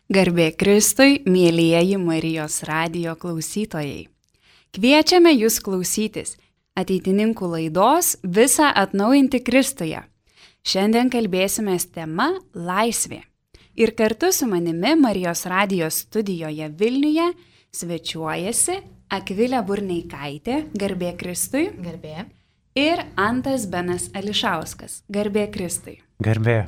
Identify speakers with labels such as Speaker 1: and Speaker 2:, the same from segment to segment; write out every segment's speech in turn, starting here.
Speaker 1: Garbė Kristui, mielieji Marijos radijo klausytojai. Kviečiame jūs klausytis ateitininkų laidos Visą atnaujinti Kristuje. Šiandien kalbėsime tema Laisvė. Ir kartu su manimi Marijos radijos studijoje Vilniuje svečiuojasi Akvilė Burneikaitė, garbė Kristui.
Speaker 2: Garbė.
Speaker 1: Ir Antas Benas Ališauskas, garbė Kristui.
Speaker 3: Garbė.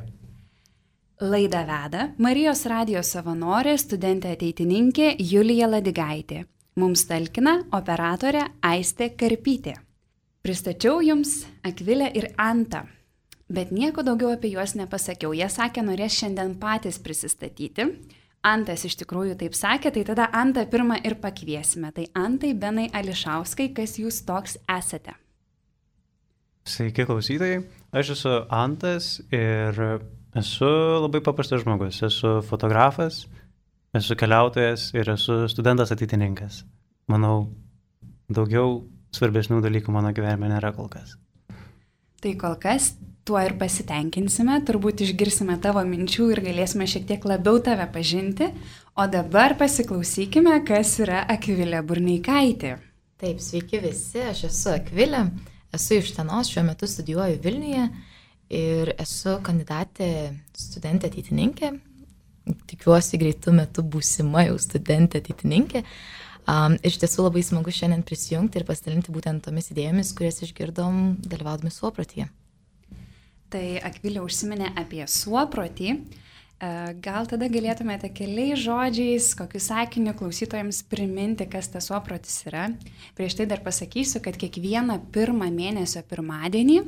Speaker 1: Laidą veda Marijos radijos savanorė, studentė ateitininkė Julija Ladigaitė. Mums talkina operatorė Aistė Karpytė. Pristačiau jums Akvilę ir Antą, bet nieko daugiau apie juos nepasakiau. Jie sakė, norės šiandien patys prisistatyti. Antas iš tikrųjų taip sakė, tai tada Antą pirmą ir pakviesime. Tai Antai Benai Ališauskai, kas jūs toks esate?
Speaker 3: Sveiki klausytojai, aš esu Antas ir esu labai paprastas žmogus. Esu fotografas, esu keliautojas ir esu studentas ateitininkas. Manau, daugiau svarbesnių dalykų mano gyvenime nėra kol kas.
Speaker 1: Tai kol kas tuo ir pasitenkinsime, turbūt išgirsime tavo minčių ir galėsime šiek tiek labiau tave pažinti. O dabar pasiklausykime, kas yra Akvilė Burneikaitė.
Speaker 2: Taip, sveiki visi, aš esu Akvilė, esu iš Utenos, šiuo metu studijuoju Vilniuje ir esu kandidatė studentė ateitininkė. Tikiuosi greitų metų būsima jau studentė ateitininkė. Iš tiesų labai smagu šiandien prisijungti ir pasidalinti būtent tomis idėjomis, kurias išgirdom dalyvaudami suoprotyje.
Speaker 1: Tai Akvilė užsiminė apie suoprotį. Gal tada galėtumėte keliais žodžiais, kokiu sakiniu klausytojams priminti, kas tas suoprotis yra. Prieš tai dar pasakysiu, kad kiekvieną pirmą mėnesio pirmadienį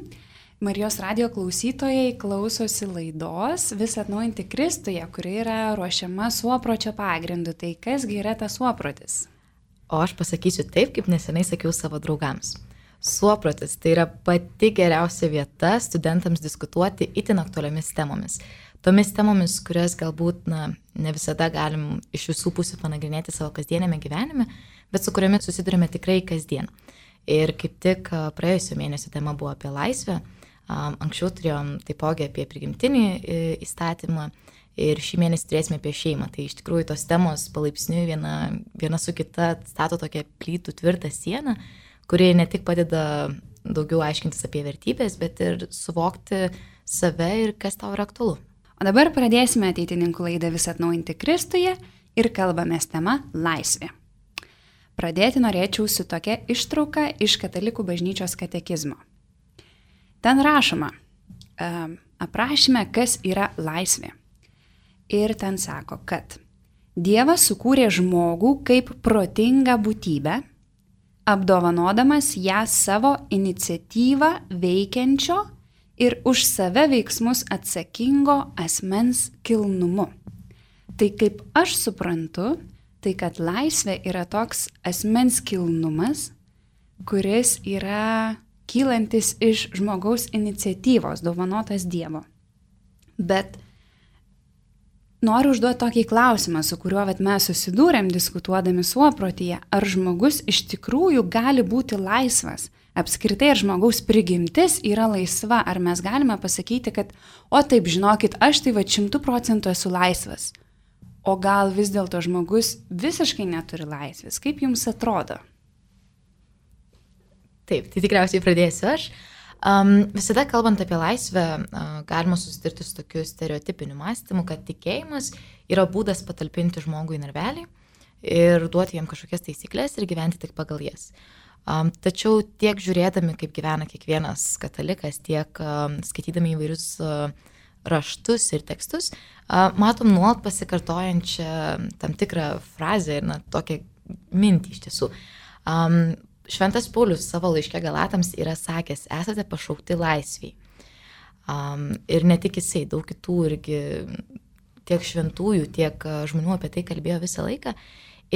Speaker 1: Marijos radijo klausytojai klausosi laidos Visą atnaujinti Kristuje, kuri yra ruošiama suopročio pagrindu. Tai kasgi yra tas suoprotis?
Speaker 2: O aš pasakysiu taip, kaip neseniai sakiau savo draugams. Suoprotis tai yra pati geriausia vieta studentams diskutuoti itin aktualiomis temomis. Tomis temomis, kurias galbūt ne visada galim iš visų pusių panagrinėti savo kasdienėme gyvenime, bet su kuriomis susidurime tikrai kasdien. Ir kaip tik praėjusio mėnesio tema buvo apie laisvę. Anksčiau turėjom taipogi apie prigimtinį įstatymą ir šį mėnesį turėsime apie šeimą. Tai iš tikrųjų tos temos palaipsniui viena su kita stato tokią plytų tvirtą sieną, kuri ne tik padeda daugiau aiškintis apie vertybės, bet ir suvokti save ir kas tau yra aktualu.
Speaker 1: O dabar pradėsime ateitininkų laidą Visą atnaujinti Kristuje ir kalbamės tema Laisvė. Pradėti norėčiau su tokia ištrauka iš Katalikų bažnyčios katekizmo. Ten rašoma, aprašyme, kas yra laisvė. Ir ten sako, kad Dievas sukūrė žmogų kaip protingą būtybę, apdovanodamas ją savo iniciatyvą veikiančio ir už save veiksmus atsakingo asmens kilnumu. Tai kaip aš suprantu, tai kad laisvė yra toks asmens kilnumas, kuris yra kylantis iš žmogaus iniciatyvos, dovanotas Dievo. Bet noriu užduoti tokį klausimą, su kuriuo mes susidūrėm diskutuodami suoprotyje, ar žmogus iš tikrųjų gali būti laisvas? Apskritai, ar žmogaus prigimtis yra laisva? Ar mes galime pasakyti, kad, o taip, žinokit, aš tai 100% esu laisvas? O gal vis dėlto žmogus visiškai neturi laisvės? Kaip jums atrodo?
Speaker 2: Taip, tai tikriausiai pradėsiu aš. Visada kalbant apie laisvę, galima susitirti su tokiu stereotipiniu mąstymu, kad tikėjimas yra būdas patalpinti žmogų į narvelį ir duoti jam kažkokias taisyklės ir gyventi tik pagal jas. Tačiau tiek žiūrėdami, kaip gyvena kiekvienas katalikas, tiek skaitydami įvairius raštus ir tekstus, matom nuolat pasikartojančią tam tikrą frazę ir tokią mintį iš tiesų. Šventas Paulius savo laiške Galatams yra sakęs, esate pašaukti laisviai. Ir ne tik jisai, daug kitų irgi tiek šventųjų, tiek žmonių apie tai kalbėjo visą laiką.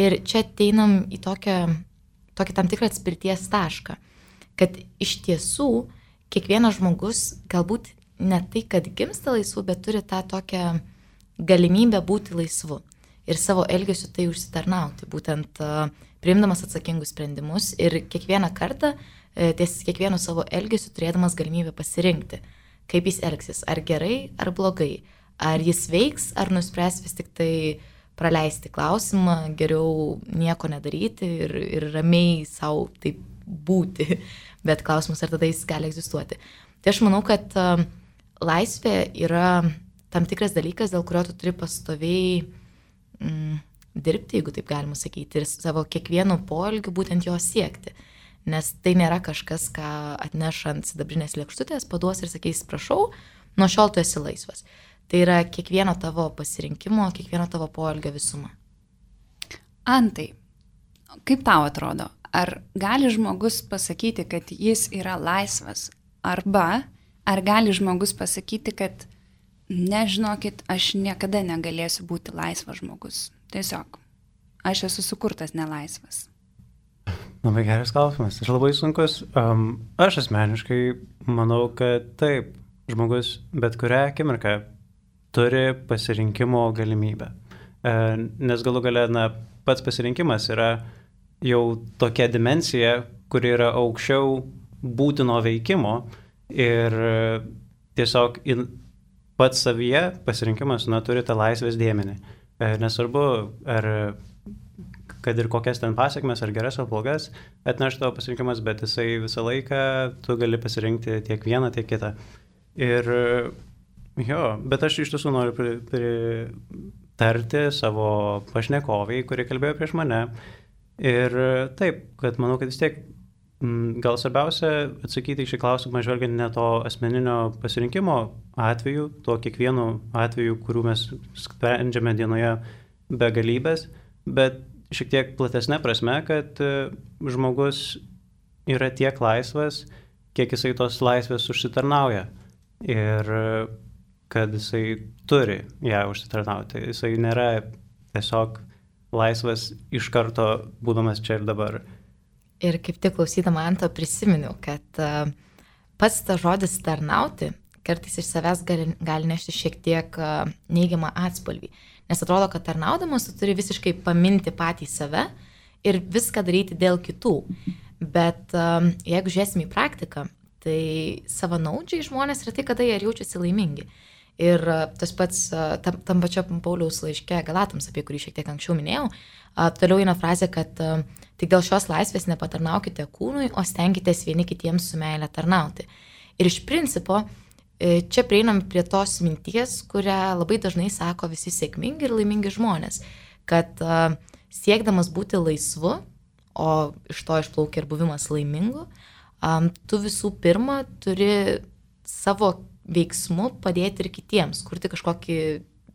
Speaker 2: Ir čia ateinam į tokį tam tikrą atspirties tašką, kad iš tiesų kiekvienas žmogus galbūt ne tai, kad gimsta laisvu, bet turi tą tokią galimybę būti laisvu ir savo elgesiu tai užsitarnauti, būtent priimdamas atsakingus sprendimus ir kiekvieną kartą ties kiekvienu savo elgesiu turėdamas galimybę pasirinkti, kaip jis elgsis, ar gerai, ar blogai, ar jis veiks, ar nuspręs vis tik tai praleisti klausimą, geriau nieko nedaryti ir ramiai savo taip būti, bet klausimas, ar tada jis gali egzistuoti. Tai aš manau, kad laisvė yra tam tikras dalykas, dėl kurio tu turi pastoviai dirbti, jeigu taip galima sakyti, ir savo kiekvienu poelgiu būtent jo siekti. Nes tai nėra kažkas, ką atneš ant sidabrinės lėkštutės, paduos ir sakys, prašau, nuo šiol tu esi laisvas. Tai yra kiekvieno tavo pasirinkimo, kiekvieno tavo poelgio visuma.
Speaker 1: Antai, kaip tau atrodo, ar gali žmogus pasakyti, kad jis yra laisvas, arba ar gali žmogus pasakyti, kad nežinokit, aš niekada negalėsiu būti laisvas žmogus. Tiesiog, aš esu sukurtas nelaisvas.
Speaker 3: Labai geras klausimas, aš labai sunkus. Aš asmeniškai manau, kad taip, žmogus bet kurią akimirką turi pasirinkimo galimybę. Nes galų gale, pats pasirinkimas yra jau tokia dimensija, kuri yra aukščiau būtino veikimo ir tiesiog pats savyje pasirinkimas turi tą laisvės dėmenį. Nesvarbu, kad ir kokias ten pasiekmes, ar geras, ar blogas, atneš tavo pasirinkimas, bet jisai visą laiką tu gali pasirinkti tiek vieną, tiek kitą. Ir bet aš iš tiesų noriu pritarti savo pašnekoviai, kuri kalbėjo prieš mane. Ir taip, kad manau, kad vis tiek gal svarbiausia atsakyti į šį klausimą, žvelgiant ne to asmeninio pasirinkimo atveju, to kiekvienu atveju, kurių mes sprendžiame dienoje begalybės, bet šiek tiek platesnė prasme, kad žmogus yra tiek laisvas, kiek jisai tos laisvės užsitarnauja ir kad jisai turi ją užsitarnauti. Jisai nėra tiesiog laisvas iš karto būdamas čia ir dabar.
Speaker 2: Ir kaip tik klausydama Anto prisiminiau, kad pats tas žodis tarnauti kartais iš savęs gali nešti šiek tiek neigiamą atspalvį. Nes atrodo, kad tarnaudamas tu turi visiškai paminti patį save ir viską daryti dėl kitų. Bet jeigu žiūrėsim į praktiką, tai savanaudžiai žmonės yra tai, kada jie jaučiasi laimingi. Ir tas pats tam pačiam Pauliaus laiške Galatams, apie kurį šiek tiek anksčiau minėjau, toliau eina frazė, kad tik dėl šios laisvės nepatarnaukite kūnui, o stenkitės vieni kitiems su meile tarnauti. Ir iš principo, čia prieinam prie tos minties, kurią labai dažnai sako visi sėkmingi ir laimingi žmonės, kad siekdamas būti laisvu, o iš to išplaukia ir buvimas laimingu, tu visų pirma turi savo veiksmu padėti ir kitiems, kurti kažkokį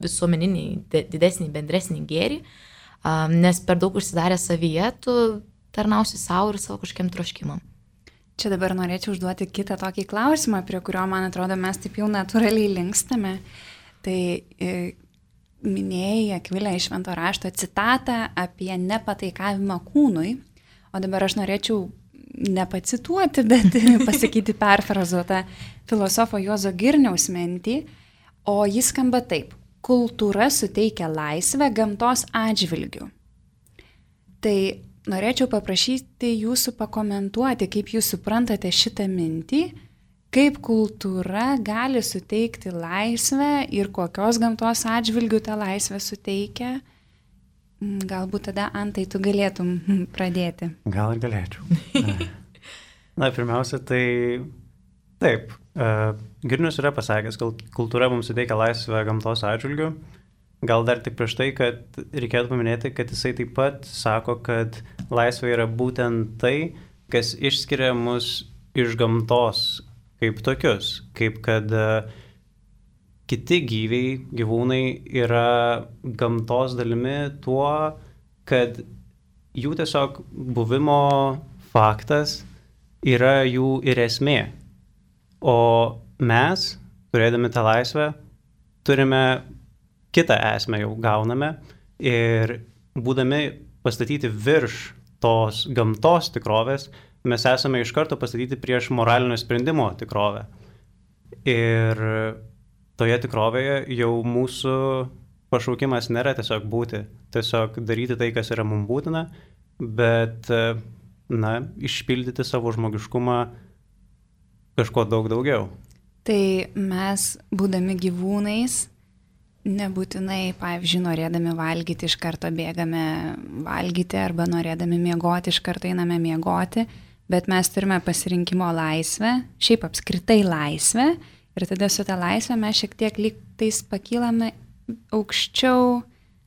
Speaker 2: visuomeninį, didesnį, bendresnį gėrį, nes per daug užsidarę savyje, tu tarnausi savo ir savo kažkokiam troškimam.
Speaker 1: Čia dabar norėčiau užduoti kitą tokį klausimą, prie kurio, man atrodo, mes taip jau natūraliai linkstame. Tai minėjai, Akvilė, iš Švento rašto citatą apie nepataikavimą kūnui, o dabar aš norėčiau nepacituoti, bet pasakyti perfrazuotą filosofo Juozo Girniaus mintį, o jis skamba taip: kultūra suteikia laisvę gamtos atžvilgių. Tai norėčiau paprašyti jūsų pakomentuoti, kaip jūs suprantate šitą mintį, kaip kultūra gali suteikti laisvę ir kokios gamtos atžvilgių tą laisvę suteikia. Galbūt tada, Antai, tu galėtum pradėti.
Speaker 3: Gal ir galėčiau. Pirmiausia, tai taip. Girnius yra pasakęs, kad kultūra mums suteikia laisvę gamtos atžvilgių. Gal dar tik prieš tai, kad reikėtų paminėti, kad jisai taip pat sako, kad laisvė yra būtent tai, kas išskiria mus iš gamtos kaip tokius. Kaip kad kiti gyvūnai yra gamtos dalimi tuo, kad jų tiesiog buvimo faktas yra jų ir esmė. O mes, turėdami tą laisvę, turime kitą esmę jau gauname ir būdami pastatyti virš tos gamtos tikrovės, mes esame iš karto pastatyti prieš moralinio sprendimo tikrovę. Ir toje tikrovėje jau mūsų pašaukimas nėra tiesiog būti, tiesiog daryti tai, kas yra mums būtina, bet, išpildyti savo žmogiškumą kažko daug daugiau.
Speaker 1: Tai mes, būdami gyvūnais, nebūtinai, pavyzdžiui, norėdami valgyti iš karto bėgame valgyti arba norėdami miegoti iš karto einame miegoti, bet mes turime pasirinkimo laisvę, šiaip apskritai laisvę ir tada su ta laisvė mes šiek tiek lyg tais pakylame aukščiau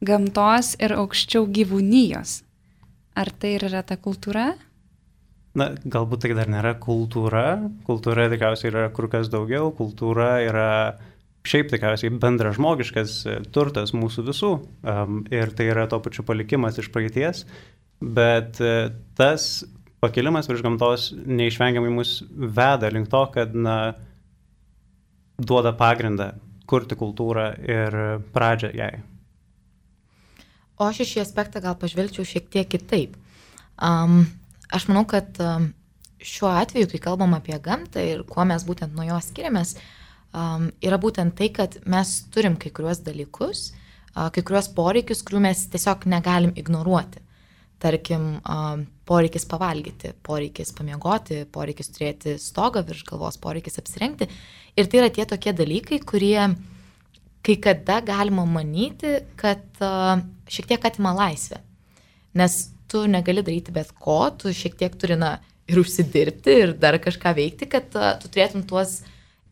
Speaker 1: gamtos ir aukščiau gyvūnijos. Ar tai ir yra ta kultūra?
Speaker 3: Na, galbūt tai dar nėra kultūra. Kultūra tikriausiai yra kur kas daugiau. Kultūra yra šiaip tikriausiai bendražmogiškas turtas mūsų visų. Ir tai yra to pačiu palikimas iš praeities. Bet tas pakilimas virš gamtos neišvengiamai mus veda link to, kad duoda pagrindą kurti kultūrą ir pradžią jai.
Speaker 2: O aš į šį aspektą gal pažvelgčiau šiek tiek kitaip. Aš manau, kad šiuo atveju, kai kalbam apie gamtą ir kuo mes būtent nuo jos skiriamės, yra būtent tai, kad mes turim kai kuriuos dalykus, kai kuriuos poreikius, kurių mes tiesiog negalim ignoruoti. Tarkim, poreikis pavalgyti, poreikis pamiegoti, poreikis turėti stogą virš galvos, poreikis apsirengti. Ir tai yra tie tokie dalykai, kurie kai kada galima manyti, kad šiek tiek atima laisvę. Nes tu negali daryti bet ko, tu šiek tiek turi ir užsidirbti, ir dar kažką veikti, kad tu turėtum tuos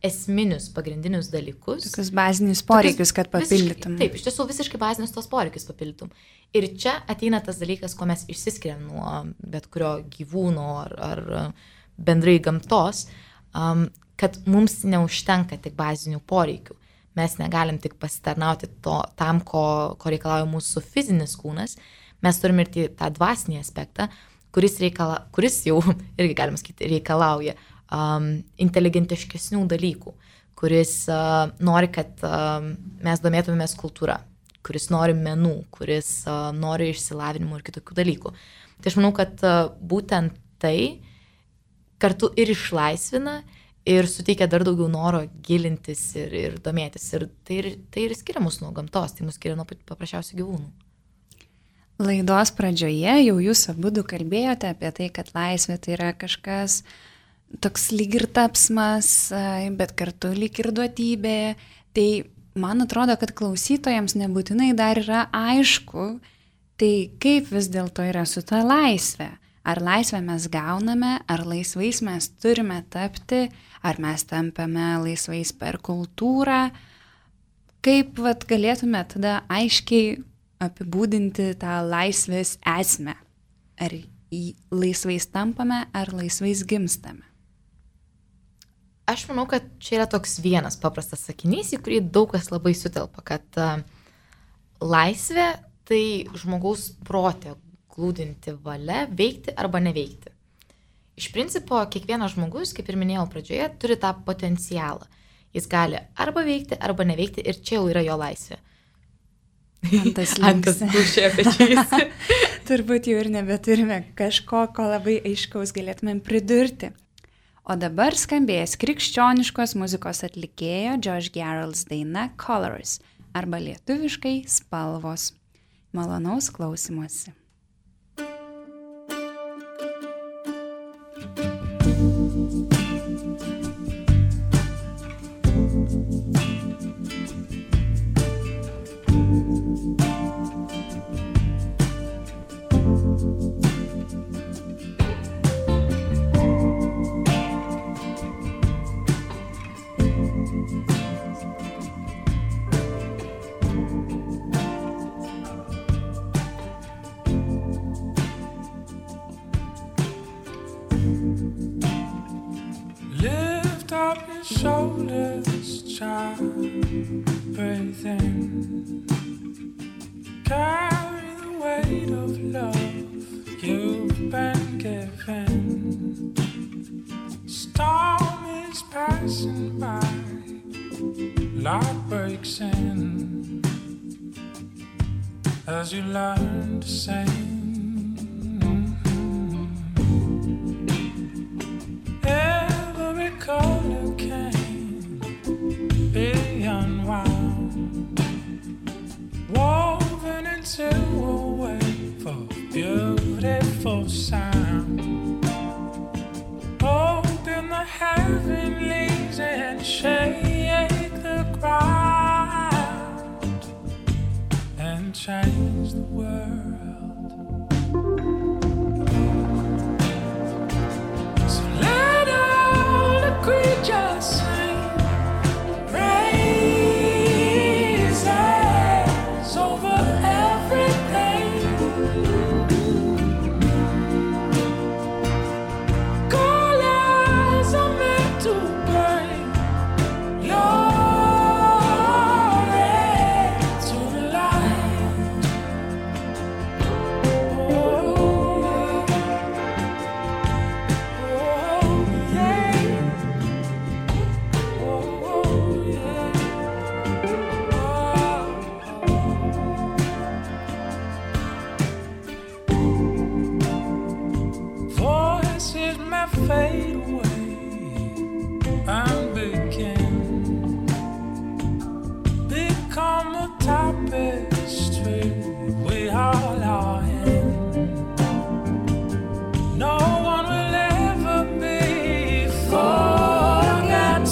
Speaker 2: esminius, pagrindinius dalykus.
Speaker 1: Tokius bazinius poreikius, kad papildytum.
Speaker 2: Taip, iš tiesų visiškai bazinius tos poreikius papildytum. Ir čia ateina tas dalykas, ko mes išsiskiriam nuo bet kurio gyvūno ar bendrai gamtos, kad mums neužtenka tik bazinių poreikių. Mes negalim tik pasitarnauti tam, ko reikalauja mūsų fizinis kūnas. Mes turime ir tą dvasinį aspektą, kuris jau, irgi galima sakyti, reikalauja inteligentiškesnių dalykų, kuris nori, kad mes domėtumėmės kultūra, kuris nori menų, kuris nori išsilavinimo ir kitokių dalykų. Tai aš manau, kad būtent tai kartu ir išlaisvina ir suteikia dar daugiau noro gilintis ir domėtis. Ir tai ir skiria mus nuo gamtos, tai mus skiria nuo paprasčiausių gyvūnų.
Speaker 1: Laidos pradžioje jau jūs abudu kalbėjote apie tai, kad laisvė tai yra kažkas toks lyg ir tapsmas, bet kartu lyg ir duotybė. Tai man atrodo, kad klausytojams nebūtinai dar yra aišku, tai kaip vis dėlto yra su ta laisvė. Ar laisvę mes gauname, ar laisvais mes turime tapti, ar mes tampame laisvais per kultūrą. Kaip galėtume tada aiškiai apibūdinti tą laisvės esmę? Ar laisvais tampame, ar laisvais gimstame?
Speaker 2: Aš manau, kad čia yra toks vienas paprastas sakinys, į kurį daug kas labai sutelpa, kad laisvė tai žmogaus prote glūdinti valia veikti arba neveikti. Iš principo, kiekvienas žmogus, kaip ir minėjau pradžioje, turi tą potencialą. Jis gali arba veikti, arba neveikti ir čia jau yra jo laisvė.
Speaker 1: Antas
Speaker 2: gūžčia pečiais.
Speaker 1: Turbūt jau ir nebeturime kažko, ko labai aiškaus galėtumėm pridurti. O dabar skambės krikščioniškos muzikos atlikėjo Josh Garrels daina Colors arba lietuviškai Spalvos. Malonaus klausymosi.
Speaker 4: Shoulders, child, breathe in. Carry the weight of love you've been given. Storm is passing by, light breaks in as you learn to sing. Every color can be unwound, woven into a wave of beautiful sound. Open the heavenlies and shake the ground. can change the world. So let all the creatures sing praises over everything. Colors are meant to bring glory to the light. Oh, yeah. Oh, yeah. Voices may fade away and become a tapestry we all are in. No one will ever be forgotten.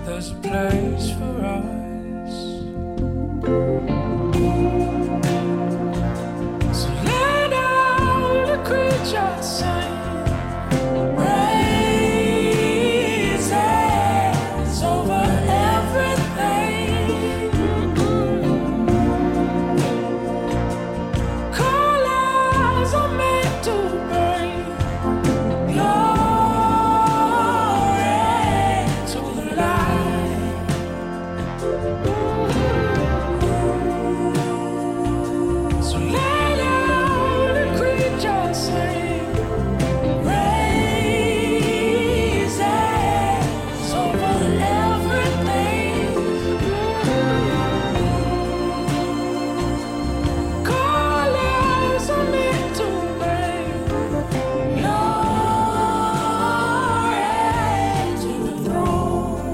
Speaker 4: There's a place for us. So let all the creatures sing praises over everything. Colors are meant to bring glory to the light. So let all the creatures sing praises over everything. Colors are meant to bring glory to the throne.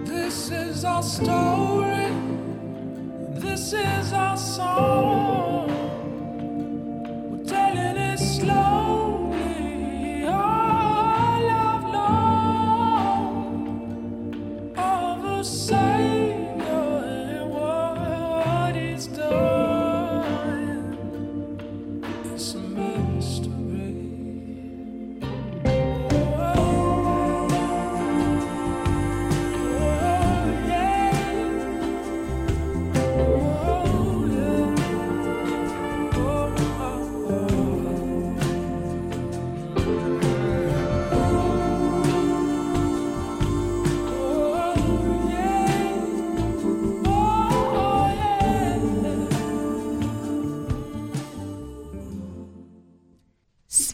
Speaker 4: This is our story. This is our song. We're telling it slowly all along of a Savior and what He's done. It's a mystery.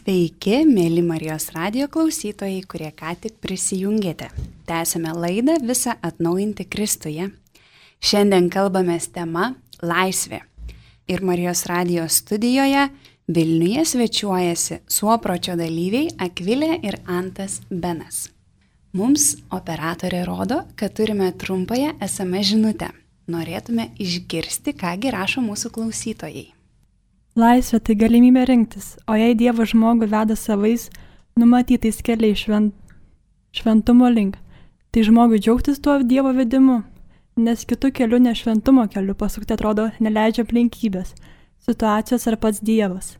Speaker 1: Sveiki, mėly Marijos radijo klausytojai, kurie ką tik prisijungėte. Tęsime laidą Visą atnaujinti Kristuje. Šiandien kalbamės tema laisvė. Ir Marijos radijo studijoje Vilniuje svečiuojasi Suopročio dalyviai Akvilė ir Antas Benas. Mums operatorė rodo, kad turime trumpąją SMS žinutę. Norėtume išgirsti, kągi rašo mūsų klausytojai.
Speaker 5: Laisvė tai galimybė rinktis, o jei Dievas žmogų veda savais, numatytais keliais šventumo link, tai žmogui džiaugtis tuo Dievo vedimu, nes kitų kelių ne šventumo keliu pasukti atrodo neleidžia aplinkybės, situacijos ar pats Dievas.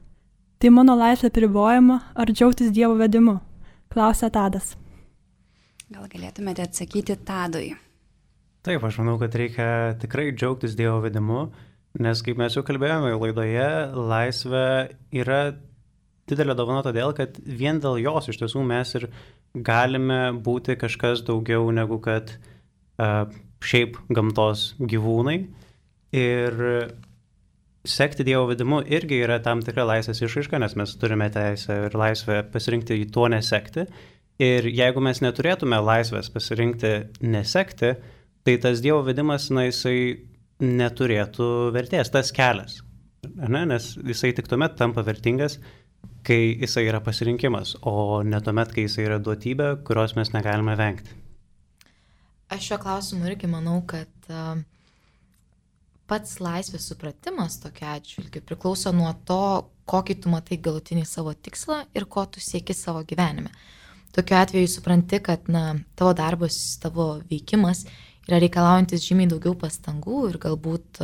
Speaker 5: Tai mano laisvė pribojama ar džiaugtis Dievo vedimu, klausia Tadas.
Speaker 1: Gal galėtumėte atsakyti Tadui?
Speaker 3: Taip, aš manau, kad reikia tikrai džiaugtis Dievo vedimu, nes kaip mes jau kalbėjome laidoje, laisvė yra didelė dovana todėl, kad vien dėl jos iš tiesų mes ir galime būti kažkas daugiau negu kad šiaip gamtos gyvūnai. Ir sekti Dievo vedimu irgi yra tam tikra laisvės išraiška, nes mes turime teisę ir laisvę pasirinkti į to nesekti. Ir jeigu mes neturėtume laisvės pasirinkti nesekti, tai tas Dievo vedimas, jisai neturėtų vertės, tas kelias, nes jisai tik tuomet tampa vertingas, kai jisai yra pasirinkimas, o ne tuomet, kai jisai yra duotybė, kurios mes negalime vengti.
Speaker 2: Aš šiuo klausimu irgi manau, kad pats laisvės supratimas tokia atžvilgiu priklauso nuo to, kokį tu matai galutinį savo tikslą ir ko tu sieki savo gyvenime. tokiu atveju supranti, kad tavo darbas, tavo veikimas yra reikalaujantis žymiai daugiau pastangų ir galbūt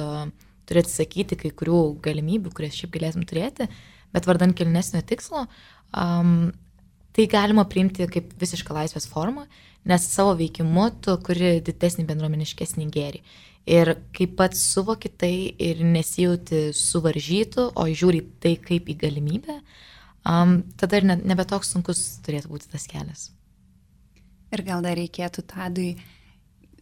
Speaker 2: turi atsisakyti kai kurių galimybių, kurias šiaip galėtum turėti, bet vardan kilnesnio tikslo, tai galima priimti kaip visišką laisvės formą, nes savo veikimu tu kuri didesnį bendruomeniškesnį gėrį. Ir kaip pats suvoki tai ir nesijauti suvaržytų, o žiūri tai kaip į galimybę, tada ir nebe toks sunkus turėtų būti tas kelias.
Speaker 1: Ir gal dar reikėtų Tadui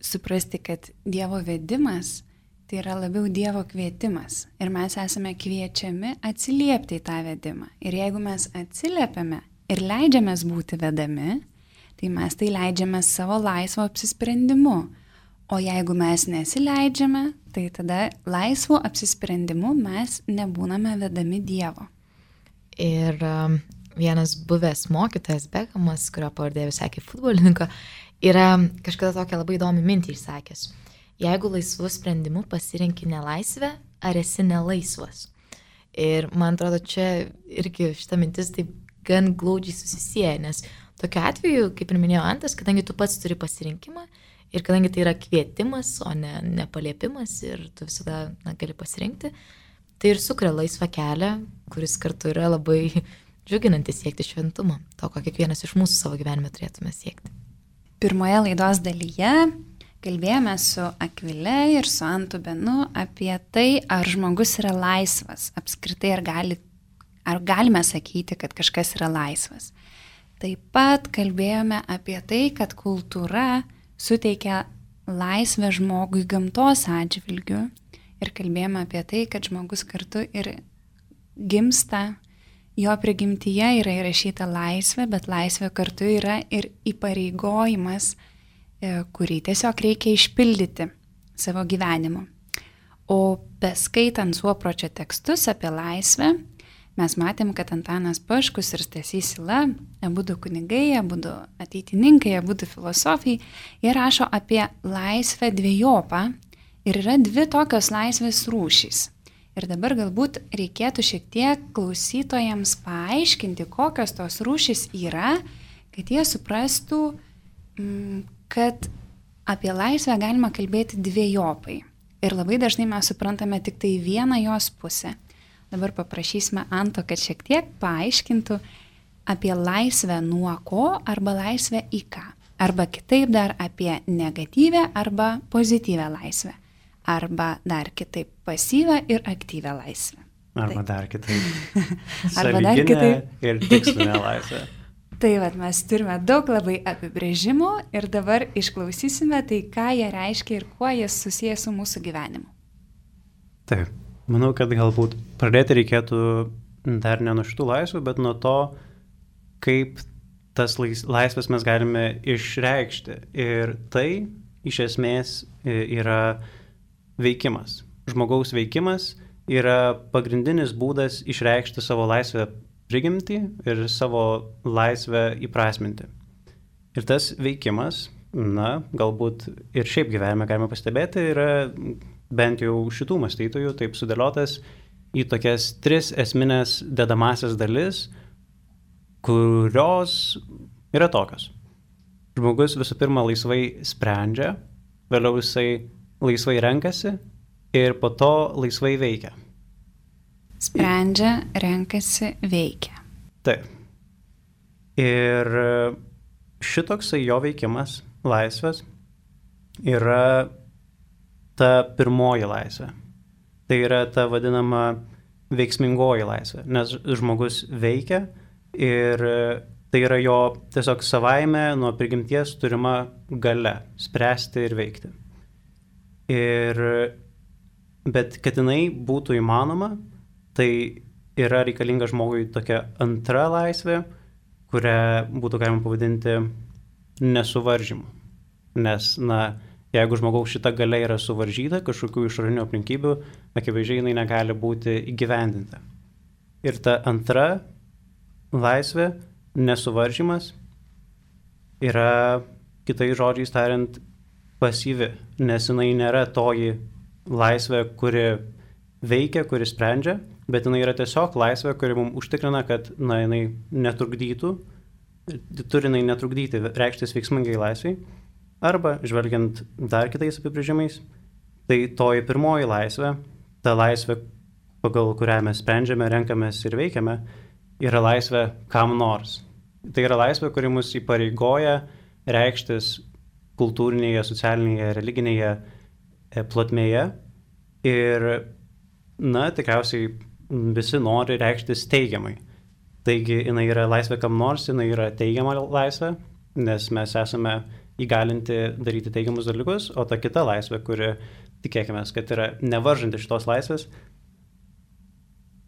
Speaker 1: suprasti, kad Dievo vedimas tai yra labiau Dievo kvietimas. Ir mes esame kviečiami atsiliepti į tą vedimą. Ir jeigu mes atsiliepiame ir leidžiamės būti vedami, tai mes tai leidžiame savo laisvo apsisprendimu. O jeigu mes nesileidžiame, tai tada laisvu apsisprendimu mes nebūname vedami Dievo.
Speaker 2: Ir vienas buvęs mokytojas Beckhamas, kurio pavardė visai kaip futbolininko, yra kažkada tokią labai įdomią mintį išsakęs. Jeigu laisvu sprendimu pasirinki nelaisvę, ar esi nelaisvas? Ir man atrodo, čia irgi šita mintis taip gan glaudžiai susisieja, nes tokiu atveju, kaip ir minėjo Antas, kadangi tu pats turi pasirinkimą ir kadangi tai yra kvietimas, o ne paliepimas ir tu visada gali pasirinkti, tai ir sukuria laisvą kelią, kuris kartu yra labai džiuginantis siekti šventumo, to, ko kiekvienas iš mūsų savo gyvenime turėtume siekti.
Speaker 1: Pirmoje laidos dalyje kalbėjome su Akvile ir su Antu Benu apie tai, ar žmogus yra laisvas, apskritai ar galime sakyti, kad kažkas yra laisvas. Taip pat kalbėjome apie tai, kad kultūra suteikia laisvę žmogui gamtos atžvilgiu ir kalbėjome apie tai, kad žmogus kartu ir gimsta, jo prigimtyje yra įrašyta laisvė, bet laisvė kartu yra ir įpareigojimas, kurį tiesiog reikia išpildyti savo gyvenimu. O beskaitant Suopročio tekstus apie laisvę, mes matėm, kad Antanas Paškus ir Stasys Yla, abudu kunigai, abudu ateitininkai, abudu filosofai, jie rašo apie laisvę dviejopą ir yra dvi tokios laisvės rūšys. Ir dabar galbūt reikėtų šiek tiek klausytojams paaiškinti, kokios tos rūšys yra, kad jie suprastų, kad apie laisvę galima kalbėti dviejopai. Ir labai dažnai mes suprantame tik tai vieną jos pusę. Dabar paprašysime Anto, kad šiek tiek paaiškintų apie laisvę nuo ko arba laisvę į ką. Arba kitaip dar apie negatyvę arba pozityvę laisvę. Arba dar kitaip pasyvę ir aktyvę laisvę.
Speaker 3: Arba dar kitaip.
Speaker 1: Arba dar kitaip.
Speaker 3: Ir tikslinę laisvę.
Speaker 1: Tai vat, mes turime daug labai apibrėžimų ir dabar išklausysime tai, ką jie reiškia ir kuo jie susiję su mūsų gyvenimu.
Speaker 3: Taip, manau, kad galbūt pradėti reikėtų dar ne nuo šitų laisvų, bet nuo to, kaip tas laisvės mes galime išreikšti. Ir tai iš esmės yra veikimas. Žmogaus veikimas yra pagrindinis būdas išreikšti savo laisvę prigimtį ir savo laisvę įprasminti. Ir tas veikimas, galbūt ir šiaip gyvenime galime pastebėti, yra bent jau šitų mąstytojų taip sudėliotas į tokias 3 esminės dedamasias dalis, kurios yra tokios. Žmogus visų pirma laisvai sprendžia, vėliau jisai laisvai renkasi ir po to laisvai veikia.
Speaker 1: Sprendžia, renkasi, veikia.
Speaker 3: Taip. Ir šitoksai jo veikimas, laisvės, yra ta pirmoji laisvė. Tai yra ta vadinama veiksmingoji laisvė, nes žmogus veikia ir tai yra jo tiesiog savaime nuo prigimties turima galia spręsti ir veikti. Bet kad jinai būtų įmanoma, tai yra reikalinga žmogui tokia antra laisvė, kurią būtų galima pavadinti nesuvaržymu. Nes, jeigu žmogaus šita galia yra suvaržyta, kažkokių išorinių aplinkybių, akivaizdžiai jinai negali būti įgyvendinta. Ir ta antra laisvė, nesuvaržymas, yra, kitais žodžiais tariant, pasyvi, nes jinai nėra toji laisvė, kuri veikia, kuri sprendžia, bet jinai yra tiesiog laisvė, kuri mums užtikrina, kad jinai netrukdytų turi jinai netrukdyti reikštis veiksmingai laisviai, arba, žvelgiant dar kitais apibrėžimais, tai toji pirmoji laisvė, ta laisvė, pagal kurią mes sprendžiame, renkamės ir veikiame, yra laisvė kam nors. Tai yra laisvė, kuri mus įpareigoja reikštis kultūrinėje, socialinėje, religinėje plotmėje. Ir, tikriausiai visi nori reikštis teigiamai. Taigi, jinai yra laisvė kam nors, jinai yra teigiama laisvė, nes mes esame įgalinti daryti teigiamus dalykus, o ta kita laisvė, kuri, tikėkime, kad yra nevaržanti šitos laisvės,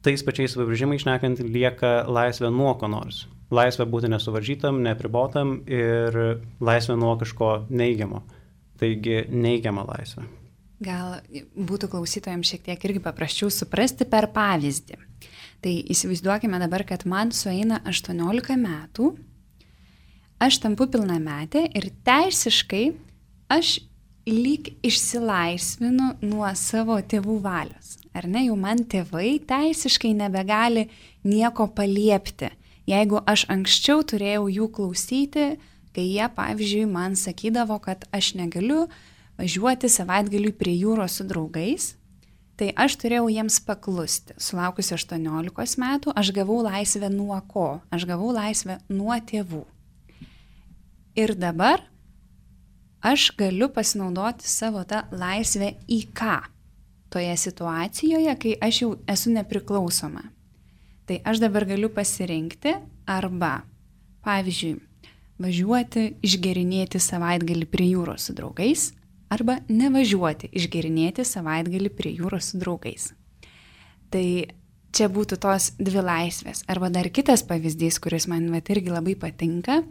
Speaker 3: tais pačiais apibrėžimais šnekant, lieka laisvė nuo ko nors. Laisvė būti nesuvaržytam, neapribotam ir laisvė nuo kažko neigiamo. Taigi neigiama laisvė.
Speaker 1: Gal būtų klausytojams šiek tiek irgi paprasčiau suprasti per pavyzdį. Tai įsivaizduokime dabar, kad man sueina 18 metų, aš tampu pilnametė ir teisiškai aš lyg išsilaisvinu nuo savo tėvų valios. Ar ne, jau man tėvai teisiškai nebegali nieko paliepti. Jeigu aš anksčiau turėjau jų klausyti, kai jie, pavyzdžiui, man sakydavo, kad aš negaliu važiuoti savaitgaliui prie jūros su draugais, tai aš turėjau jiems paklusti. Sulaukusi 18 metų, aš gavau laisvę nuo ko? Aš gavau laisvę nuo tėvų. Ir dabar aš galiu pasinaudoti savo tą laisvę į ką? Toje situacijoje, kai aš jau esu nepriklausoma. Tai aš dabar galiu pasirinkti arba, pavyzdžiui, važiuoti išgerinėti savaitgalį prie jūros su draugais, arba nevažiuoti išgerinėti savaitgalį prie jūros su draugais. Tai čia būtų tos dvi laisvės. Arba dar kitas pavyzdys, kuris man irgi labai patinka,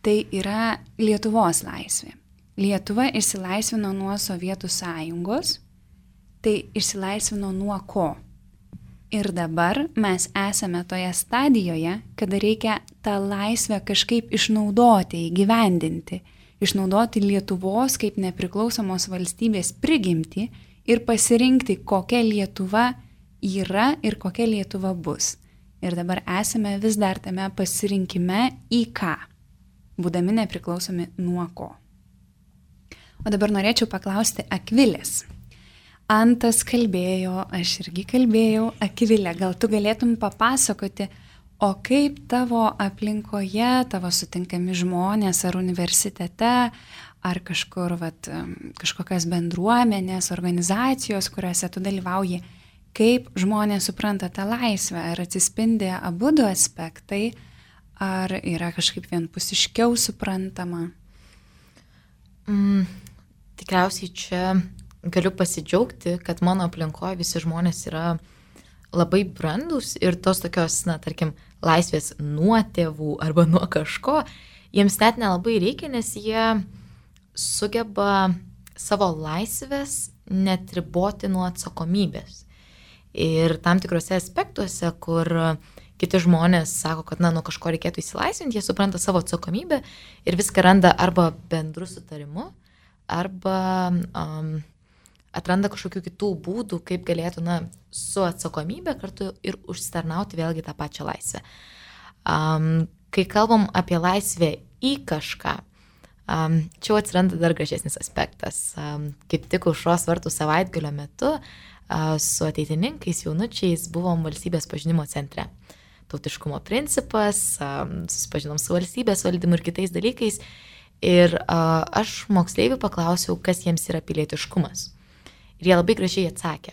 Speaker 1: tai yra Lietuvos laisvė. Lietuva išsilaisvino nuo Sovietų sąjungos, tai išsilaisvino nuo ko? Ir dabar mes esame toje stadijoje, kada reikia tą laisvę kažkaip išnaudoti, įgyvendinti, išnaudoti Lietuvos kaip nepriklausomos valstybės prigimtį ir pasirinkti, kokia Lietuva yra ir kokia Lietuva bus. Ir dabar esame vis dar tame pasirinkime į ką, būdami nepriklausomi nuo ko. O dabar norėčiau paklausti Akvilės. Antas kalbėjo, aš irgi kalbėjau. Akvilė, gal tu galėtum papasakoti, o kaip tavo aplinkoje, tavo sutinkami žmonės ar universitete, ar kažkur, kažkokios bendruomenės, organizacijos, kuriuose tu dalyvauji, kaip žmonės supranta tą laisvę, ar atsispindi abu du aspektai, ar yra kažkaip vienpusiškiau suprantama?
Speaker 2: Tikriausiai čia galiu pasidžiaugti, kad mano aplinkoje visi žmonės yra labai brandus ir tos tokios, tarkim, laisvės nuo tėvų arba nuo kažko, jiems net nelabai reikia, nes jie sugeba savo laisvės neatriboti nuo atsakomybės. Ir tam tikrose aspektuose, kur kiti žmonės sako, kad nuo kažko reikėtų įsilaisvinti, jie supranta savo atsakomybę ir viską randa arba bendru sutarimu, arba atranda kažkokių kitų būdų, kaip galėtų su atsakomybė kartu ir užsitarnauti vėlgi tą pačią laisvę. Kai kalbam apie laisvę į kažką, čia atsiranda dar gražesnis aspektas. Kaip tik Aušros vartų savaitgalio metu su ateitininkais, jaunučiais buvom valstybės pažinimo centre. Tautiškumo principas, susipažinom su valstybės valdymu ir kitais dalykais. Ir aš moksleivių paklausiau, kas jiems yra pilietiškumas. Ir jie labai gražiai atsakė.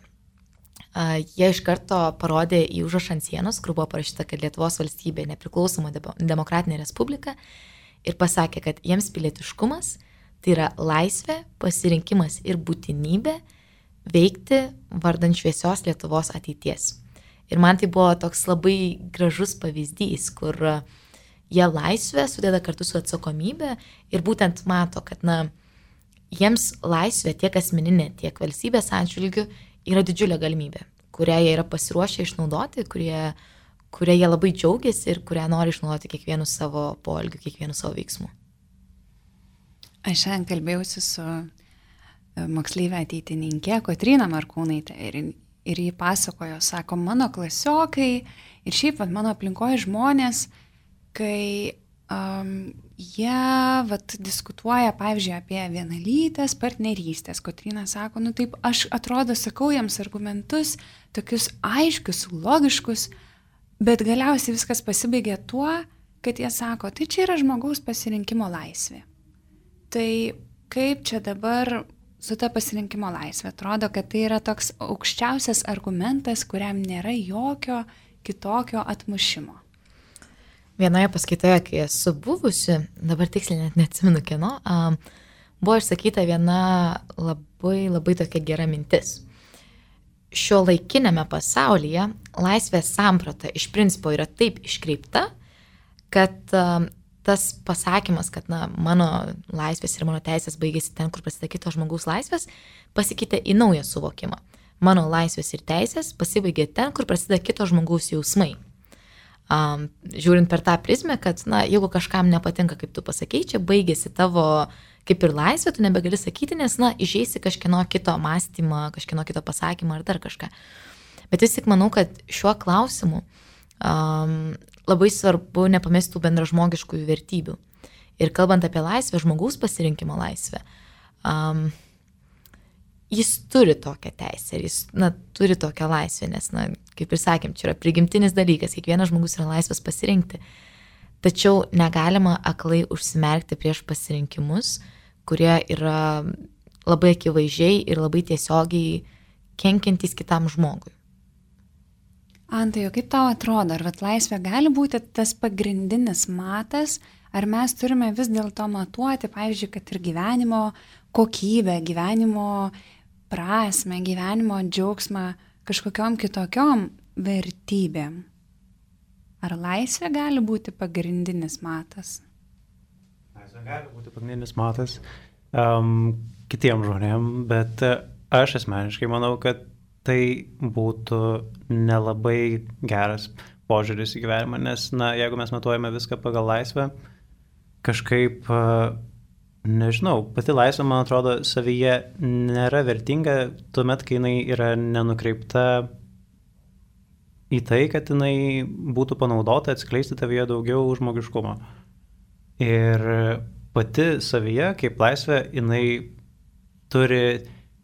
Speaker 2: Jie iš karto parodė į užrašą ant sienos, kur buvo parašyta, kad Lietuvos valstybė nepriklausoma demokratinė respublika, ir pasakė, kad jiems pilietiškumas tai yra laisvė, pasirinkimas ir būtinybė veikti vardan šviesios Lietuvos ateities. Ir man tai buvo toks labai gražus pavyzdys, kur jie laisvę sudeda kartu su atsakomybė ir būtent mato, kad jiems laisvė tiek asmeninė, tiek valstybės atžvilgių yra didžiulė galimybė, kurią jie yra pasiruošę išnaudoti, kurie jie labai džiaugiasi ir kurią nori išnaudoti kiekvienu savo poelgiu, kiekvienu savo veiksmu.
Speaker 1: Aš šiandien kalbėjausi su moksleivė ateitininkė Kotryna Markūnaitė ir jį pasakojo, sako, mano klasiokai ir šiaip mano aplinkoje žmonės, kai jie diskutuoja, pavyzdžiui, apie vienalytės partnerystės. Kotryna sako, taip, aš atrodo sakau jiems argumentus, tokius aiškius, logiškus, bet galiausiai viskas pasibaigia tuo, kad jie sako, tai čia yra žmogaus pasirinkimo laisvė. Tai kaip čia dabar su ta pasirinkimo laisvė? Atrodo, kad tai yra toks aukščiausias argumentas, kuriam nėra jokio kitokio atmušimo.
Speaker 2: Vienoje paskaitoje, kai esu buvusi, dabar tiksliai net neatsimenu kieno, buvo išsakyta viena labai tokia gera mintis. Šio laikinėme pasaulyje laisvės samprata iš principo yra taip iškreipta, kad tas pasakymas, kad mano laisvės ir mano teisės baigėsi ten, kur prasideda kito žmogaus laisvės, pasikeitė į naują suvokimą. Mano laisvės ir teisės pasibaigė ten, kur prasideda kito žmogaus jausmai. Žiūrint per tą prizmę, kad jeigu kažkam nepatinka, kaip tu pasakei, čia baigėsi tavo kaip ir laisvė, tu nebegali sakyti, nes išeisi kažkieno kito mąstymą, kažkieno kito pasakymą ar dar kažką. Bet vis tik manau, kad šiuo klausimu labai svarbu nepamesti tų bendražmogiškųjų vertybių. Ir kalbant apie laisvę, žmogaus pasirinkimo laisvę, jis turi tokią teisę ir jis turi tokią laisvę, nes, kaip ir sakėm, čia yra prigimtinis dalykas, kiekvienas žmogus yra laisvas pasirinkti. Tačiau negalima aklai užsimerkti prieš pasirinkimus, kurie yra labai akivaizdžiai ir labai tiesiogiai kenkiantys kitam žmogui.
Speaker 1: Antai, o kaip tau atrodo, ar laisvė gali būti tas pagrindinis matas, ar mes turime vis dėlto matuoti, pavyzdžiui, kad ir gyvenimo kokybę, gyvenimo prasmę, gyvenimo džiaugsmą kažkokiom kitokiom vertybėm? Ar laisvė gali būti pagrindinis matas?
Speaker 3: Laisvė gali būti pagrindinis matas kitiem žmonėm, bet aš asmeniškai manau, kad tai būtų nelabai geras požiūris į gyvenimą, nes, jeigu mes matuojame viską pagal laisvę, kažkaip nežinau, pati laisvė, man atrodo, savyje nėra vertinga tuomet, kai jinai yra nenukreipta į tai, kad jinai būtų panaudota atskleisti tavyje daugiau žmogiškumo. Ir pati savyje, kaip laisvė, jinai turi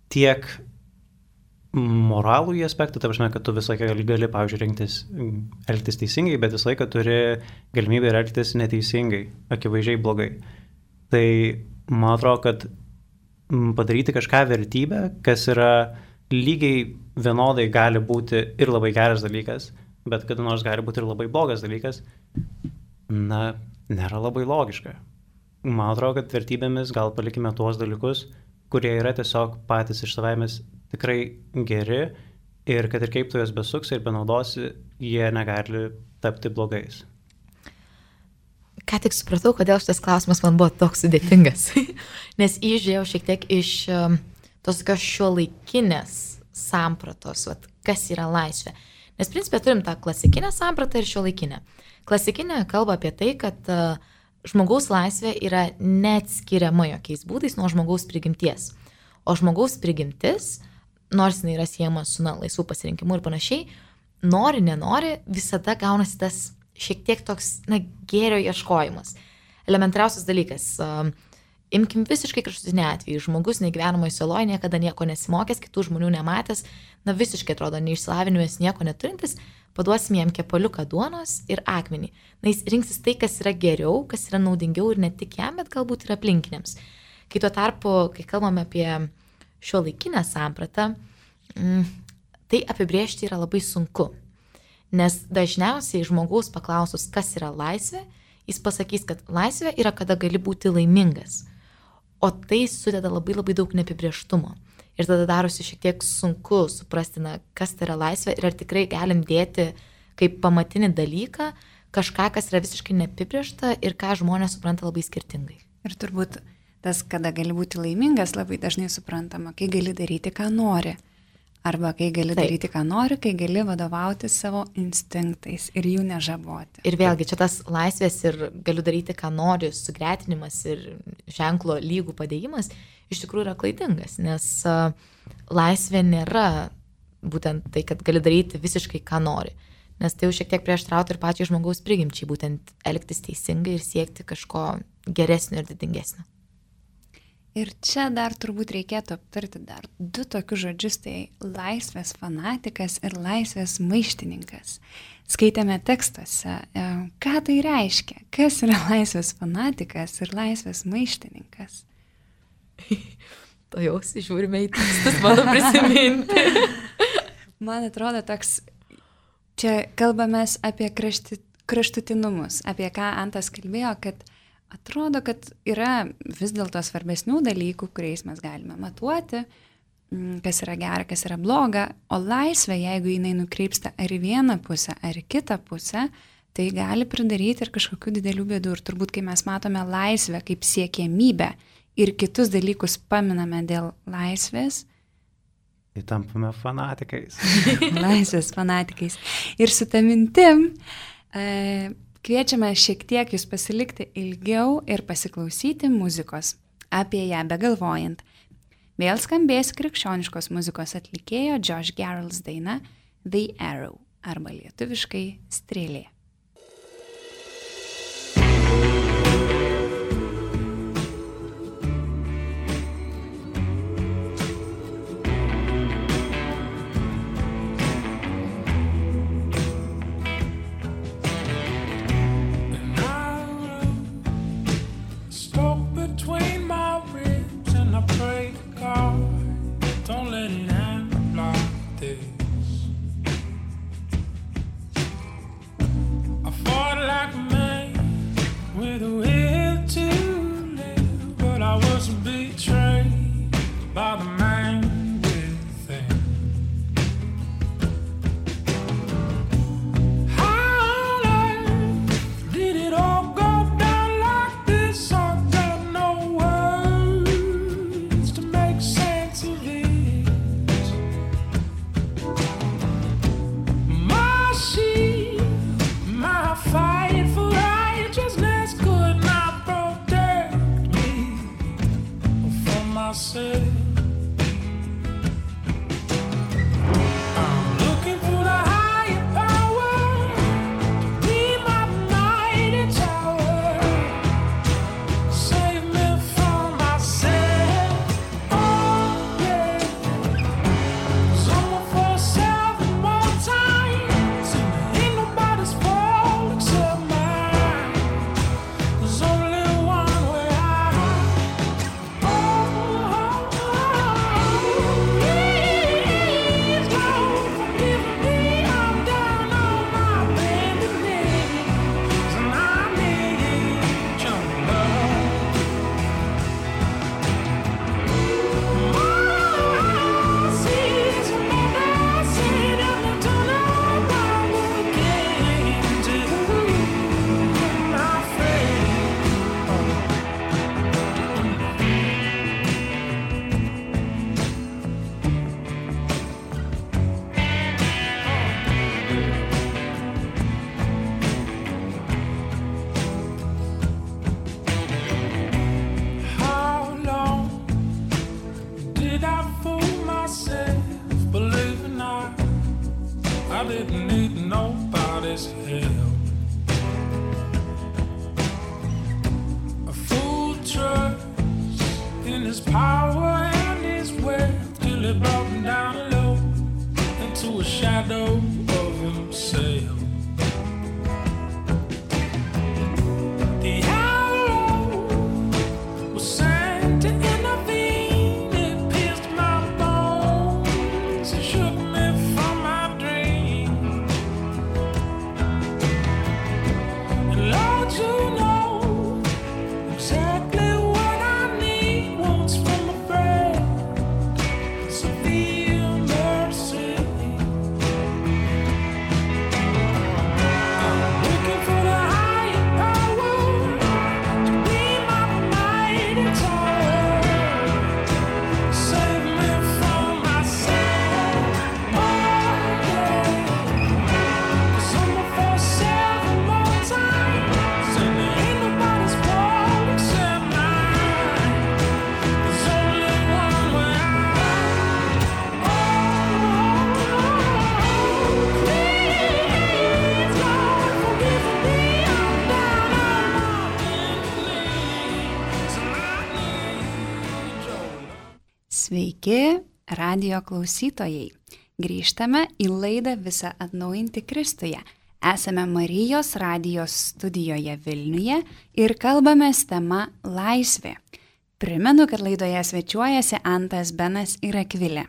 Speaker 3: tiek moralų į aspektą, ta prasme, kad tu visą laiką gali, pavyzdžiui, elgtis teisingai, bet visą laiką turi galimybę elgtis neteisingai, akivaizdžiai blogai. Tai man atrodo, kad padaryti kažką vertybę, kas yra lygiai vienodai gali būti ir labai geras dalykas, bet kada nors gali būti ir labai blogas dalykas, nėra labai logiška. Man atrodo, kad vertybėmis gal palikime tuos dalykus, kurie yra tiesiog patys iš savaimės tikrai geri ir kad ir kaip tu juos besuksi ir benaudosi, jie negali tapti blogais.
Speaker 2: Ką tik supratau, kodėl šitas klausimas man buvo toks sudėtingas, nes įžiūrėjau šiek tiek iš tos tokios šiuolaikinės sampratos, kas yra laisvė. Nes principė turim tą klasikinę sampratą ir šiuolaikinę. Klasikinė kalba apie tai, kad žmogaus laisvė yra neatskiriama jokiais būdais nuo žmogaus prigimties. O žmogaus prigimtis, nors jinai yra siejama su laisvų pasirinkimu ir panašiai, nori, nenori, visada gaunasi tas šiek tiek toks gėrio ieškojimas. Elementariausias dalykas. Imkim visiškai kraštutinį atvejį. Žmogus negyvenamoje saloje, niekada nieko nesimokęs, kitų žmonių nematęs, visiškai atrodo neišsilavinęs, nieko neturintis, paduosim jam kepaliuką duonos ir akmenį. Jis rinksis tai, kas yra geriau, kas yra naudingiau ir ne tik jam, bet galbūt ir aplinkiniams. Kai tuo tarpu, kai kalbame apie šiuolaikinę sampratą, tai apibrėžti yra labai sunku. Nes dažniausiai žmogaus paklausus, kas yra laisvė, jis pasakys, kad laisvė yra, kada gali būti laimingas. O tai sudeda labai daug neapibrėžtumo. Ir tada darosi šiek tiek sunku suprasti, kas tai yra laisvė ir ar tikrai galim dėti kaip pamatinį dalyką kažką, kas yra visiškai neapibrėžta ir ką žmonės supranta labai skirtingai.
Speaker 1: Ir turbūt tas, kada gali būti laimingas, labai dažnai suprantama, kai gali daryti, ką nori. Arba kai gali daryti, ką nori, kai gali vadovauti savo instinktais ir jų nežaboti.
Speaker 2: Ir vėlgi, čia tas laisvės ir galiu daryti, ką nori, sugretinimas ir ženklo lygų padėjimas iš tikrųjų yra klaidingas, nes laisvė nėra būtent tai, kad gali daryti visiškai, ką nori. nes tai jau šiek tiek prieštrautų ir pačiai žmogaus prigimčiai, būtent elgtis teisingai ir siekti kažko geresnio ir didingesnio.
Speaker 1: Ir čia dar turbūt reikėtų aptarti dar 2 tokius žodžius, tai laisvės fanatikas ir laisvės maištininkas. Skaitėme tekstuose, ką tai reiškia, kas yra laisvės fanatikas ir laisvės maištininkas.
Speaker 2: To jau žiūrime į tekstus, mano prisiminti.
Speaker 1: Man atrodo toks, čia kalbamės apie kraštutinumus, apie ką Antas kalbėjo, kad atrodo, kad yra vis dėlto svarbesnių dalykų, kuriais mes galime matuoti, kas yra gera, kas yra bloga, o laisvė, jeigu jinai nukreipsta ar į vieną pusę, ar į kitą pusę, tai gali pridaryti ir kažkokių didelių bėdų. Ir turbūt, kai mes matome laisvę kaip siekiamybę ir kitus dalykus paminame dėl laisvės,
Speaker 3: Tai tampame fanatikais.
Speaker 1: Laisvės fanatikais. Ir su ta mintim kviečiame šiek tiek jūs pasilikti ilgiau ir pasiklausyti muzikos. Apie ją begalvojant. Vėl skambės krikščioniškos muzikos atlikėjo Josh Garrels daina The Arrow arba lietuviškai Strėlė. Sveiki, radio klausytojai. Grįžtame į laidą Visa atnaujinti Kristuje. Esame Marijos radijos studijoje Vilniuje ir kalbamės tema laisvė. Primenu, kad laidoje svečiuojasi Antas, Benas ir Akvilė.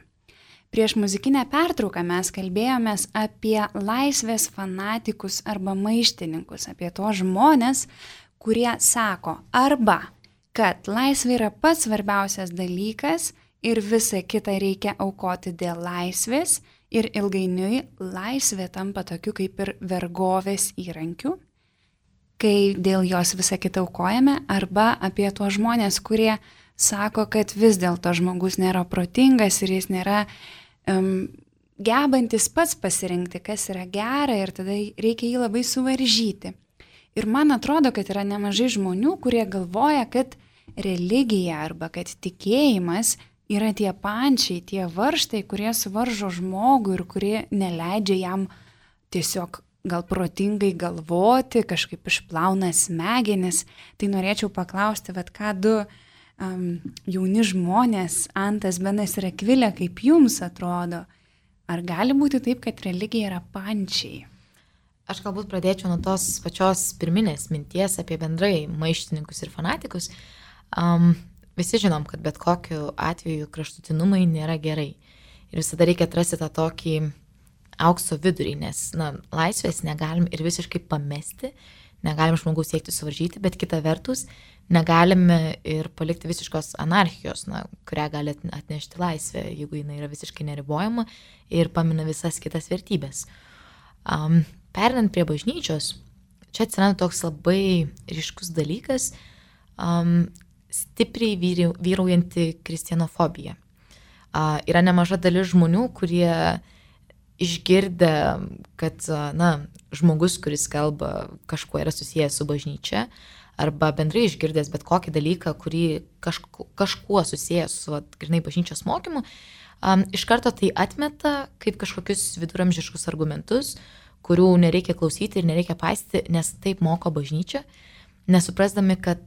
Speaker 1: Prieš muzikinę pertrauką mes kalbėjomės apie laisvės fanatikus arba maištininkus, apie tos žmonės, kurie sako arba, kad laisvė yra pats svarbiausias dalykas ir visą kitą reikia aukoti dėl laisvės ir ilgainiui laisvė tampa tokiu kaip ir vergovės įrankiu, kai dėl jos visą kitą aukojame, arba apie tuos žmonės, kurie sako, kad vis dėlto žmogus nėra protingas ir jis nėra gebantis pats pasirinkti, kas yra gera ir tada reikia jį labai suvaržyti. Ir man atrodo, kad yra nemažai žmonių, kurie galvoja, kad religija arba kad tikėjimas yra tie pančiai, tie varžtai, kurie suvaržo žmogų ir kurie neleidžia jam tiesiog gal protingai galvoti, kažkaip išplauna smegenis. Tai norėčiau paklausti, ką du jauni žmonės, Antas, Benas ir Akvilė, kaip jums atrodo, ar gali būti taip, kad religija yra pančiai?
Speaker 2: Aš galbūt pradėčiau nuo tos pačios pirminės minties apie bendrai maištininkus ir fanatikus. Visi žinom, kad bet kokiu atveju kraštutinumai nėra gerai. Ir visada reikia atrasti tą tokį aukso vidurį, nes laisvės negalim ir visiškai pamesti, negalim žmogaus siekti suvaržyti, bet kita vertus negalime ir palikti visiškos anarchijos, kurią gali atnešti laisvė, jeigu jinai yra visiškai neribojama ir pamina visas kitas vertybės. Perinant prie bažnyčios, čia atsiranda toks labai ryškus dalykas, stipriai vyraujanti kristianofobija. Yra nemaža dalis žmonių, kurie išgirdę, kad žmogus, kuris kalba, kažkuo yra susijęs su bažnyčia, arba bendrai išgirdęs bet kokį dalyką, kurį kažkuo susijęs su grynai bažnyčios mokymu, iš karto tai atmeta kaip kažkokius viduramžiškus argumentus, kurių nereikia klausyti ir nereikia paisyti, nes taip moko bažnyčia, nesuprasdami, kad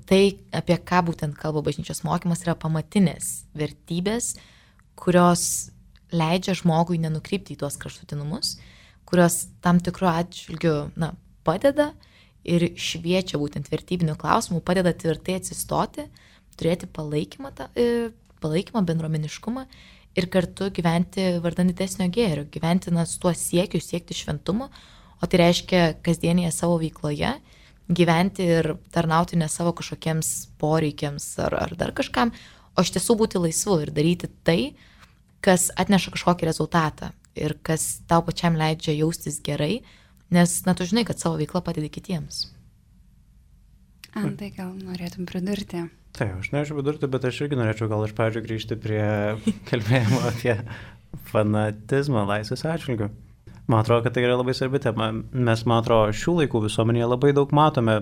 Speaker 2: tai, apie ką būtent kalba bažnyčios mokymas, yra pamatinės vertybės, kurios leidžia žmogui nenukrypti į tuos kraštutinumus, kurios tam tikru atžvilgiu padeda ir šviečia būtent vertybinių klausimų, padeda tvirtai atsistoti, turėti palaikymą, bendruomeniškumą ir kartu gyventi vardan didesnio gėrio, gyventi su tuo siekiu, siekti šventumo, o tai reiškia kasdienėje savo veikloje gyventi ir tarnauti ne savo kažkokiems poreikiams ar dar kažkam, o iš tiesų būti laisvu ir daryti tai, kas atneša kažkokį rezultatą ir kas tau pačiam leidžia jaustis gerai, nes tu žinai, kad savo veiklą padedi kitiems.
Speaker 1: Antai, gal norėtum pridurti?
Speaker 3: Taip, aš norėčiau pridurti, bet aš irgi norėčiau gal iš pradžių grįžti prie kalbėjimo apie fanatizmą laisvės atžvilgiu. Man atrodo, kad tai yra labai svarbi tema. Mes, man atrodo, šių laikų visuomenėje labai daug matome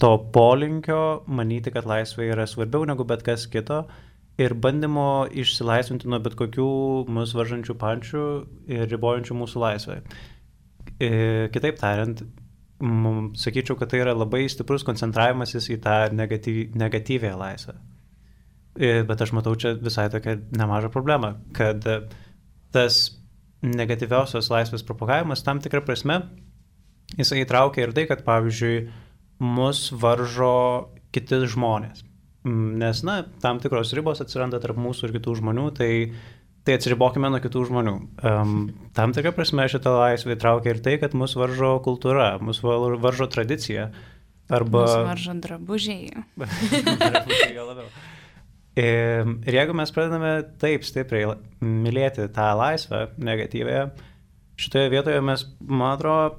Speaker 3: to polinkio manyti, kad laisvė yra svarbiau negu bet kas kito ir bandymo išsilaisvinti nuo bet kokių mus varžančių pančių ir ribojančių mūsų laisvę. Kitaip tariant, sakyčiau, kad tai yra labai stiprus koncentravimasis į tą negatyvę laisvę. Bet aš matau čia visai tokią nemažą problemą, kad tas negatyviausios laisvės propagavimas tam tikrą prasme, jisai įtraukia ir tai, kad pavyzdžiui, mus varžo kiti žmonės. Nes, tam tikros ribos atsiranda tarp mūsų ir kitų žmonių, tai atsiribokime nuo kitų žmonių. Tam tikrą prasme šitą laisvę įtraukia ir tai, kad mus varžo kultūra, mus varžo tradicija. Arba...
Speaker 1: Mus varžo drabužiai.
Speaker 3: Drabužiai gal labiau. Ir jeigu mes pradedame taip stipriai mylėti tą laisvę negatyvėje, šitoje vietoje mes, man atrodo,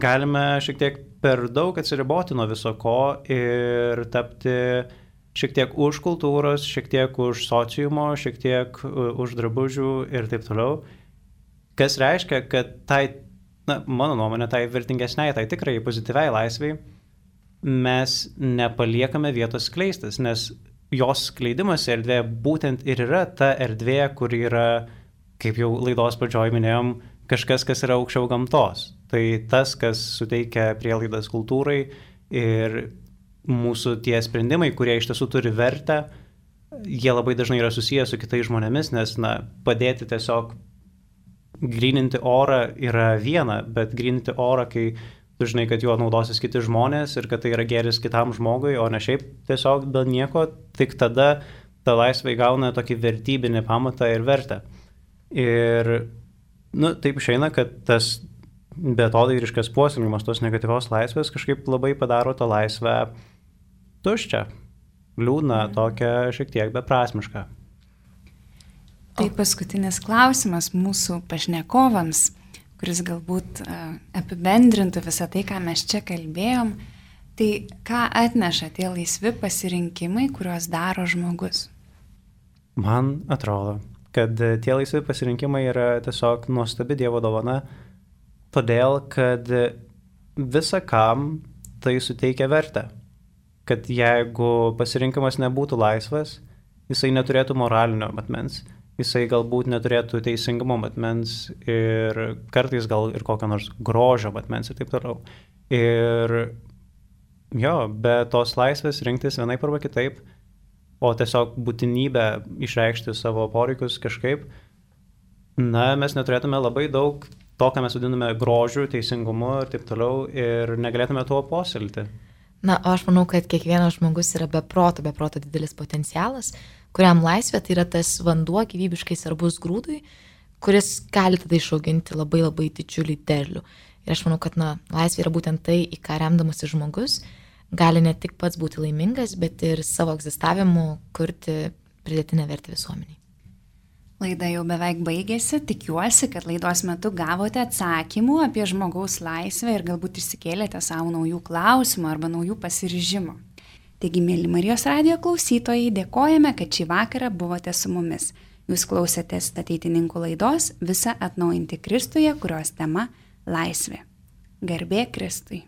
Speaker 3: galime šiek tiek per daug atsiriboti nuo viso ko ir tapti šiek tiek už kultūros, šiek tiek už sociumo, šiek tiek už drabužių ir taip toliau. Kas reiškia, kad mano nuomonė, tai vertingesniai, tai tikrai pozityviai laisviai, mes nepaliekame vietos skleistis, nes jos skleidimas erdvė būtent ir yra ta erdvė, kur yra, kaip jau laidos pradžioj minėjom, kažkas, kas yra aukščiau gamtos. Tai tas, kas suteikia prielaidas kultūrai ir mūsų tie sprendimai, kurie iš tiesų turi vertę, jie labai dažnai yra susijęs su kitais žmonėmis, nes, padėti tiesiog gryninti orą yra viena, bet gryninti orą, kai tu žinai, kad juo naudosis kiti žmonės ir kad tai yra geris kitam žmogui, o ne šiaip tiesiog dėl nieko, tik tada ta laisvė įgauna tokį vertybinį pamatą ir vertę. Ir, taip išeina, kad tas beatodairiškas puoselėjimas tos negatyvios laisvės kažkaip labai padaro tą laisvę tuščią, liūdną, tokią šiek tiek beprasmišką.
Speaker 1: Tai paskutinis klausimas mūsų pašnekovams, kuris galbūt apibendrintų visą tai, ką mes čia kalbėjom. Tai ką atneša tie laisvi pasirinkimai, kuriuos daro žmogus?
Speaker 3: Man atrodo, kad tie laisvi pasirinkimai yra tiesiog nuostabi Dievo dovana, todėl kad visakam tai suteikia vertę. Kad jeigu pasirinkimas nebūtų laisvas, jisai neturėtų moralinio matmens, jisai galbūt neturėtų teisingumo matmens ir kartais gal ir kokio nors grožio matmens ir taip toliau. Ir be tos laisvės rinktis vienaip arba kitaip, o tiesiog būtinybę išreikšti savo poreikius kažkaip, mes neturėtume labai daug to, ką mes vadiname grožiu, teisingumu ir taip toliau ir negalėtume tuo puoselėti.
Speaker 2: O aš manau, kad kiekvienas žmogus yra be proto didelis potencialas, kuriam laisvė tai yra tas vanduo gyvybiškai svarbus grūdui, kuris gali tada išauginti labai labai didžiulį derlių. Ir aš manau, kad laisvė yra būtent tai, į ką remdamasis žmogus gali ne tik pats būti laimingas, bet ir savo egzistavimu kurti pridėtinę vertę visuomeniai.
Speaker 1: Laida jau beveik baigėsi, tikiuosi, kad laidos metu gavote atsakymų apie žmogaus laisvę ir galbūt išsikėlėte savo naujų klausimų arba naujų pasiryžimų. Taigi, mėly Marijos radijo klausytojai, dėkojame, kad šį vakarą buvote su mumis. Jūs klausėtės Ateitininkų laidos Visa atnaujinti Kristuje, kurios tema – laisvė. Garbė Kristui.